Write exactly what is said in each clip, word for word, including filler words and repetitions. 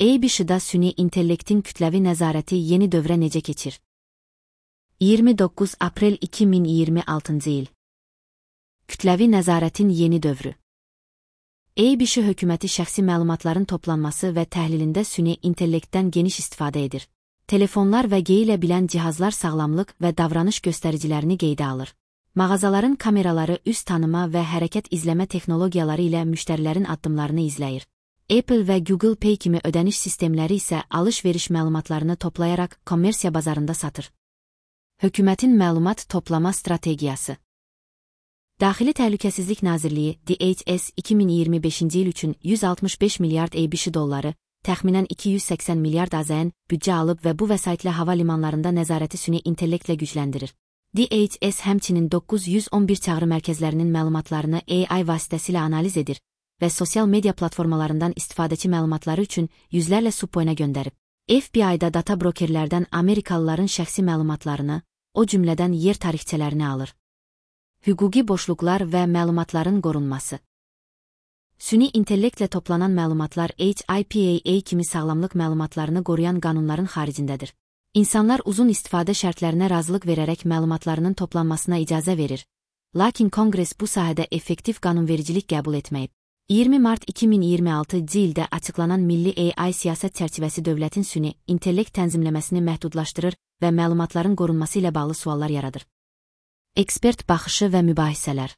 E-B-Ş'da süni intellektin kütləvi nəzarəti yeni dövrə necə keçir? iyirmi doqquz aprel iki min iyirmi altıncı il. Kütləvi nəzarətin yeni dövrü. E-B-Ş hökuməti şəxsi məlumatların toplanması və təhlilində süni intellektdən geniş istifadə edir. Telefonlar və geyilə bilən cihazlar sağlamlıq və davranış göstəricilərini qeydə alır. Mağazaların kameraları üz tanıma və hərəkət izləmə texnologiyaları ilə müştərilərin addımlarını izləyir. Apple və Google Pay kimi ödəniş sistemləri isə alış-veriş məlumatlarını toplayaraq kommersiya bazarında satır. Hökumətin məlumat toplama strategiyası. Daxili Təhlükəsizlik Nazirliyi D H S iki min iyirmi beşinci il üçün yüz altmış beş milyard E-B-Ş dolları, təxminən iki yüz səksən milyard A Z N büdcə alıb və bu vəsaitlə hava limanlarında nəzarəti süni intellektlə gücləndirir. D H S həmçinin doqquz yüz on bir çağrı mərkəzlərinin məlumatlarını A I vasitəsilə analiz edir və sosial media platformalarından istifadəçi məlumatları üçün yüzlərlə subpoyna göndərib. F B I-da data brokerlərdən Amerikalıların şəxsi məlumatlarını, o cümlədən yer tarixçələrini alır. Hüquqi boşluqlar və məlumatların qorunması. Süni intellektlə toplanan məlumatlar H I P A A kimi sağlamlıq məlumatlarını qoruyan qanunların xaricindədir. İnsanlar uzun istifadə şərtlərinə razılıq verərək məlumatlarının toplanmasına icazə verir. Lakin Konqres bu sahədə effektiv qanunvericilik qəbul etməyib. iyirmi mart iki min iyirmi altıncı ildə açıqlanan Milli A I siyasət çərçivəsi dövlətin süni intellekt tənzimləməsini məhdudlaşdırır və məlumatların qorunması ilə bağlı suallar yaradır. Ekspert baxışı və mübahisələr.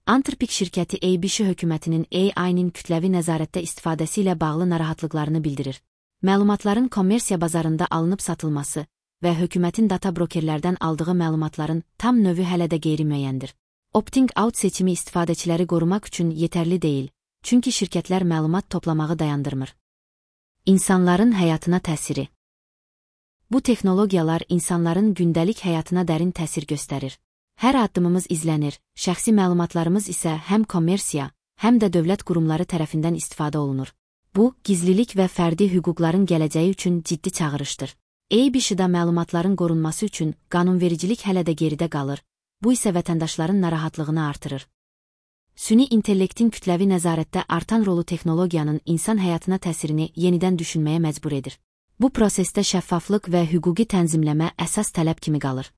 Anthropic şirkəti E-B-Ş hökumətinin A I-nin kütləvi nəzarətdə istifadəsi ilə bağlı narahatlıqlarını bildirir. Məlumatların kommersiya bazarında alınıb satılması və hökumətin data brokerlərdən aldığı məlumatların tam növü hələ də qeyri-müəyyəndir. Opting-out seçimi istifadəçiləri qorumaq üçün yetərli deyil, çünki şirkətlər məlumat toplamağı dayandırmır. İnsanların həyatına təsiri. Bu texnologiyalar insanların gündəlik həyatına dərin təsir göstərir. Hər addımımız izlənir, şəxsi məlumatlarımız isə həm kommersiya, həm də dövlət qurumları tərəfindən istifadə olunur. Bu, gizlilik və fərdi hüquqların gələcəyi üçün ciddi çağırışdır. E-B-Ş'da məlumatların qorunması üçün qanunvericilik hələ də geridə qalır, bu isə vətəndaşların narahatlığını artırır. Süni intellektin kütləvi nəzarətdə artan rolu texnologiyanın insan həyatına təsirini yenidən düşünməyə məcbur edir. Bu prosesdə şəffaflıq və hüquqi tənzimləmə əsas tələb kimi qalır.